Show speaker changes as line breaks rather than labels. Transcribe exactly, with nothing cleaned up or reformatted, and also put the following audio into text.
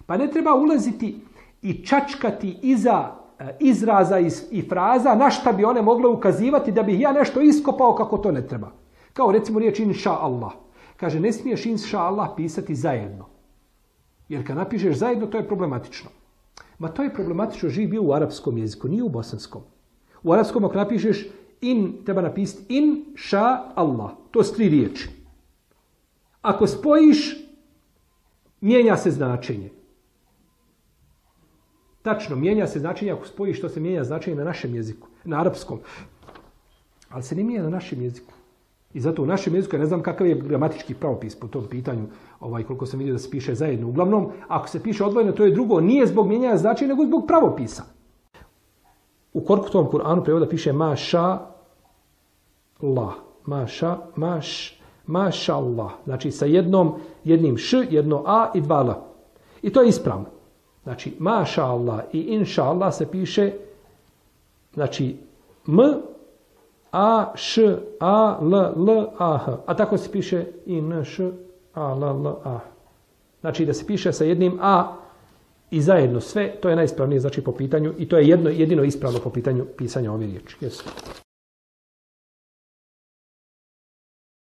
Pa ne treba ulaziti i čačkati iza izraza i fraza na šta bi one mogle ukazivati da bih ja nešto iskopao kako to ne treba. Kao recimo riječ inša Allah. Kaže, ne smiješ inša Allah pisati zajedno. Jer kad napišeš zajedno, to je problematično. Ma to je problematično, živi bio u arapskom jeziku, nije u bosanskom. U arapskom ako napišeš in, treba napisati inša Allah. To su tri riječi. Ako spojiš, mijenja se značenje. Tačno, mijenja se značenje ako spojiš, to se mijenja značenje na našem jeziku, na arapskom. Ali se ne mijenja na našem jeziku. I zato u našem jeziku, ja ne znam kakav je gramatički pravopis po tom pitanju, ovaj, koliko sam vidio da se piše zajedno. Uglavnom, ako se piše odvojeno, to je drugo, nije zbog mijenjanja značenja, nego zbog pravopisa. U Korkutovom Kur'anu prevoda piše maša Allah. Maša, maš, maša Allah. Znači sa jednom, jednim š, jedno a i dva l. I to je ispravno. Znači, maša Allah i inša Allah se piše, znači, m, a, š, a, l, l, a, h. A tako se piše i n, š, a, l, l, a. Znači, da se piše sa jednim a i zajedno sve, to je najispravnije, znači, po pitanju, i to je jedno, jedino ispravno po pitanju pisanja ove riječi. Jesu.